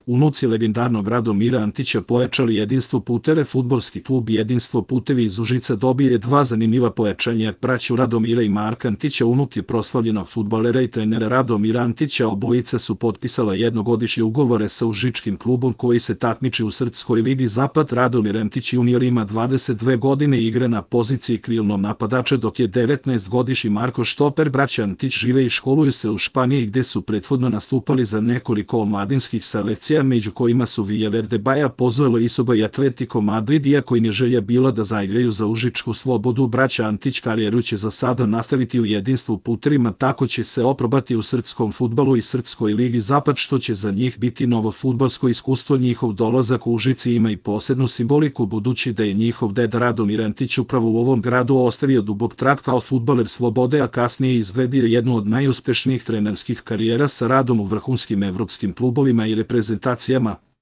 Unuci legendarnog Radomira Antića pojačali Jedinstvo puteve. Fudbalski klub Jedinstvo putevi iz Užica dobije dva zanimljiva pojačanja. Braću Radomira i Marka Antića, unuke proslavljenog fudbalera i trenera Radomira Antića, obojica su potpisala jednogodišnje ugovore sa užičkim klubom koji se takmiči u srpskoj ligi Zapad. Radomir Antić junior ima 22 godine i igra na poziciji krilnog napadača, dok je 19-godišnji Marko štoper. Braća Antić žive i školuju se u Španiji, gde su prethodno nastupali za nekoliko omladinskih selekcija, među kojima su Villaverde, Baja, Pozuelo, Isoba i Atletico Madrid. Iako im je želja bila da zaigraju za Užičku Slobodu, braća Antić karijeru će za sada nastaviti u Jedinstvu putevima, tako će se oprobati u srpskom fudbalu i srpskoj ligi Zapad, što će za njih biti novo fudbalsko iskustvo. Njihov dolazak u Užice ima i posebnu simboliku, budući da je njihov deda Radomir Antić upravo u ovom gradu ostavio dubok trag kao fudbaler Slobode, a kasnije izgradio jednu od najuspešnijih trenerskih karijera sa radom u vrhunskim evropskim klubovima i reprezentacijama.